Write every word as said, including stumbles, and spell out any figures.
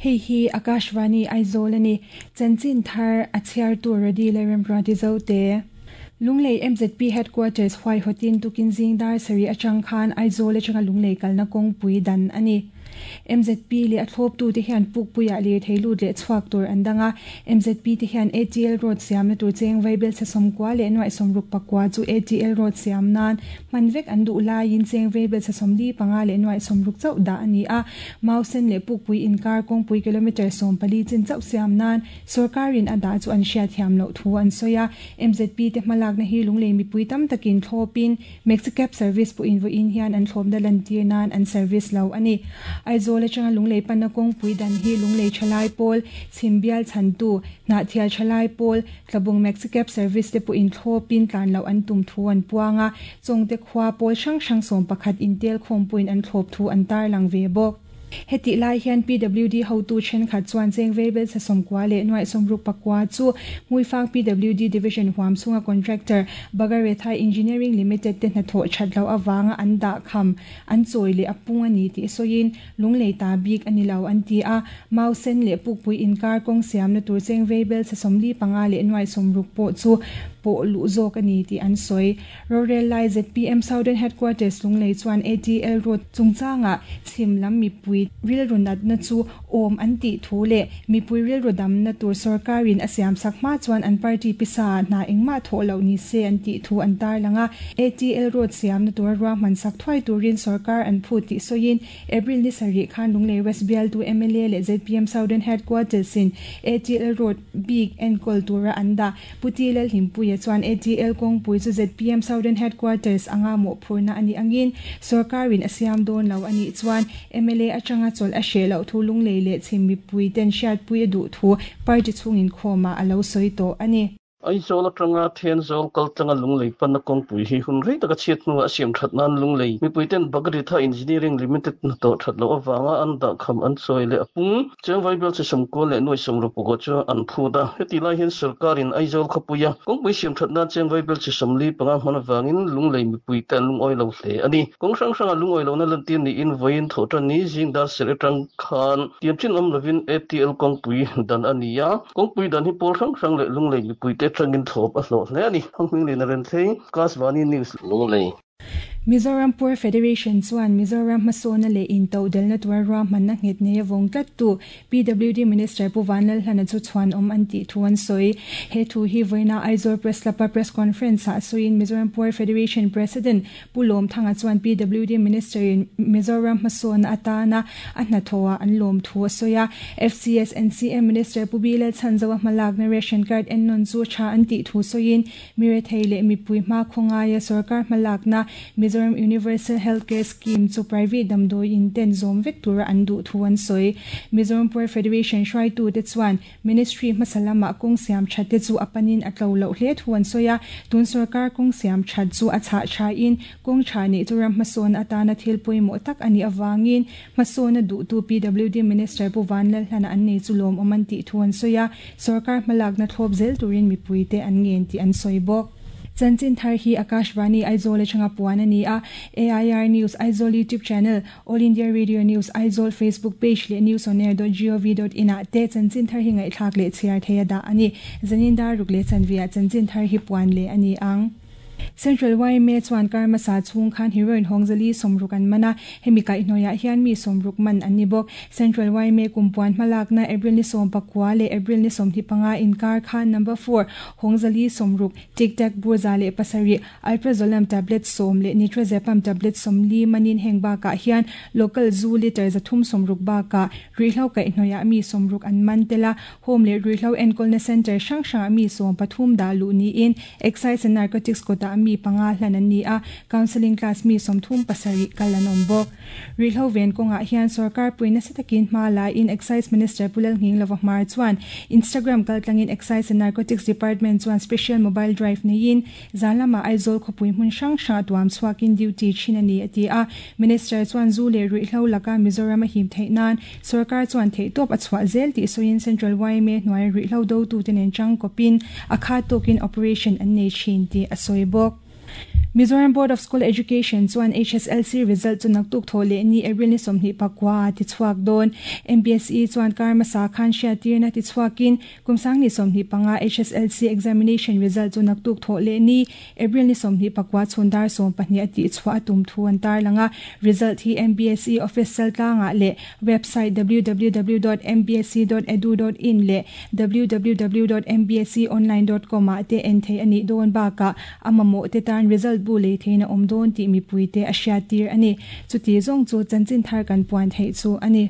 Hei hi Akashvani Aizawl ani. Chanchin thar a chhiartu Rodi leh Remruati Zote. Lunglei M Z P Headquarters huaihawtin tukin zing dar sarih atang khan Aizawl atanga Lunglei kalna kawngpui dan ani. M Z P leh a thlawptu te hian Pukpuiah lirthei lut leh chhuak tur an dang a. M Z P te hian A T L Road siamna tur cheng vaibelchhe sawmkua leh nuaih sawmruk pakua chu A T L Road siam nan hman vek an duh laiin cheng vaibelchhe sawmli panga leh nuaih sawmruk chauh dah ani a. Mausen leh Pukpui inkar kawngpui kilometre sawm pali chin chauh siam nan sorkarin a dah chu an hriat thiam loh thu an sawi a. M Z P te hmalakna hi Lunglei mipui tam takin thlawpin Maxicab service pawhin vawiin hian an thlawpna lantir nan an service lo ani. Aizawl atanga Lunglei panna kawngpui dan hi Lunglei Thalai Pawl, Chhimbial Chhantu, Hnahthial Thalai Pawl, Tlabung Maxicab service te pawhin thlawpin tlan loh an tum thu an puang a. Chawngte khua pawl hrang hrang sawm pakhat intel khawmpuiin an thlawp thu an tarlang ve bawk. Heti lai hian P W D hotu thenkhat chuan cheng vaibelchhe sawmkua leh nuaih sawmruk pakua chu Hmuifang P W D Division huam chhunga contractor Bagaretha Engineering Limited te hnathawh that loh awanga an dah kham an chawi leh a pung ani tih sawiin Lunglei ta bik ani lo an ti a. Mausen leh Pukpui inkar kawng siamna tur cheng vaibelchhe sawmli panga leh nuaih sawmruk pawh chu pawh luh zawk ani tih an sawi. Rorel lai Z P M Southern Headquarters Lunglei chuan A T L Road chungchanga chhim lam mipui rilru natna chu awm an tih thu leh mipui rilru damna tur sorkarin a siam sak hma chuan an party pisa hna engmah thawh loh ni se an tih thu an tarlang a. A T L Road siamna tur ruahman sak thuai turin sorkar an phut tih sawiin April ni sarih khan Lunglei West bialtu M L A leh Z P M Southern Headquarters in A T L Road bik enkawl tura an dah Puti Lalhlimpuia chuan A T L kawngpui chu Z P M Southern Headquarters anga mawhphurhna ani angin sorkarin a siam dawn lo anih chuan M L A atanga chawlh a hreh loh thu Lunglei leh chhim mipui ten hriatpui a duh thu party chhungin khawmah a lo sawi tawh ani. Aizawl atanga Thenzawl kal tlanga Lunglei panna kawngpui hi hun rei taka chhiat hnuah a siam that nan Lunglei mipuiten Bagaretha Engineering Limited hnathawh that loh awanga an dah kham an chawi leh a pung cheng vaibelchhe sawmkua leh nuaih sawmruk pakua chu an phut a. Heti lai hian sorkarin Aizawl khawpuia kawngpui siam that nan cheng vaibelchhe sawmli panga hman awangin Lunglei mipuite an lungawi lo hle ani. Kawng hrang hranga lungawi lohna lantir niin vawiin thawhtan ni zing dar sarih atang khan tiam chin awm lovin A T L kawngpui dan ani a. Kawngpui dan hi pawl hrang hrang leh Lunglei mipuite atangin thlawp a hlawh hle ani. Thangming Lian Renthlei, Akashvani News, Lunglei. Mizoram Poor Federation chuan Mizoram hmasawna leh intodelhna tura ruahmanna nghet nei a vawng tlattu P W D Minister Pu Vanlalhlana chu chhuan awm an tih thu an sawi. He thu hi vawiina Aizawl Press Club-a press conference ah sawiin Mizoram Poor Federation President Pu Lawm Thanga chuan P W D Minister in Mizoram hmasawna atana a hnathawhah an lawm thu a sawi a. F C S N C M Minister Pu B Lalchhanzova hmalakna ration card ennawn chu tha an tih thu sawiin mirethei leh mipui hma khawngaia sarkar hmalakna Mizoram Universal Healthcare Scheme chu private damdawi in ten zawm vek tura an duh thu an sawi. Mizoram Poor Federation hruaitu te chuan Ministry hmasa lamah kawng siam that te chu a panin a tlo loh hle thu an sawi a. Tun sarkar kawng siam that chu a chhah tha in kawng tha nei chu ram hmasawn atana thil pawimawh tak ani awangin hmasawna duhtu P W D Minister Pu Vanlalhlana an nei chu lawm awm an tih thu an sawi a. Sarkar hmalakna thlawp zel turin mipui te an ngen tih an sawi bawk. Chanchin thar hi Akashvani Aizawl atanga puan ani a. A I R News Aizawl YouTube channel, All India Radio News Aizawl Facebook page leh newsonair dot gov dot in ah te chanchin thar hi ngaihthlak leh chhiar thei a dah ani. Zanin dar ruk leh chanvia chanchin thar hi puan leh ani ang. Central Y M A chuan karmasa chhung khan heroin hawngzali sawmruk an mana. Hemi kaihhnawihah hian mi sawmruk man an ni bawk. Central Y M A kumpuan hmalakna April ni sawm pakua leh April ni sawmhnih panga inkar khan number four hawngzali sawmruk, tic tac burza leh pasarih, alprazolam tablet sawm leh nitrazepam tablet sawmli manin heng bakah hian local zu liter zathum sawmruk bakah ruihhlo kaihhnawihah mi sawmruk an man tela. Home leh ruihhlo enkawlna center hrang hrangah mi sawm pathum dah luh niin Excise and Narcotics kawtah mi panga hlan an ni a. Counselling class mi sawmthum pasarih kal an awm bawk. Ruihhlo ven kawngah hian sarkar puina nasa takin hma la in Excise Minister Pu Lalnghinglova Hmar chuan Instagram kaltlangin Excise and Narcotics Department chuan special mobile drive neiin zan lamah Aizawl khawpui hmun hrang hrang tuam chhuakin duty thin ani a ti a. Minister chuan zu leh ruihhlo laka Mizoram a him theih nan sarkar chuan theihtawp a chhuah zel tih sawiin Central Y M A hnuai ruihhlo do tu te nen chang kawpin a kha tawkin operation an nei thin tih a sawi bawk. Mizoram Board of School Education chuan HSLC result chu naktuk tho le ni April ni somni pakwa ti chuak don MBSE chuan karma sa khan sha tirna ti chuakin kumsang ni somni panga HSLC examination result chu naktuk tho le ni April ni somni pakwa chundar som pahni ati chwa tum thu an tar langa result hi MBSE official tlanga le website www.mbse.edu.in le www.mbseonline.com a te en thei ani don ba ka amamo te tan result bu le theina omdon ti mi puite a hria tir ani chuti zong chu chanchin thar kan puan thei chu ani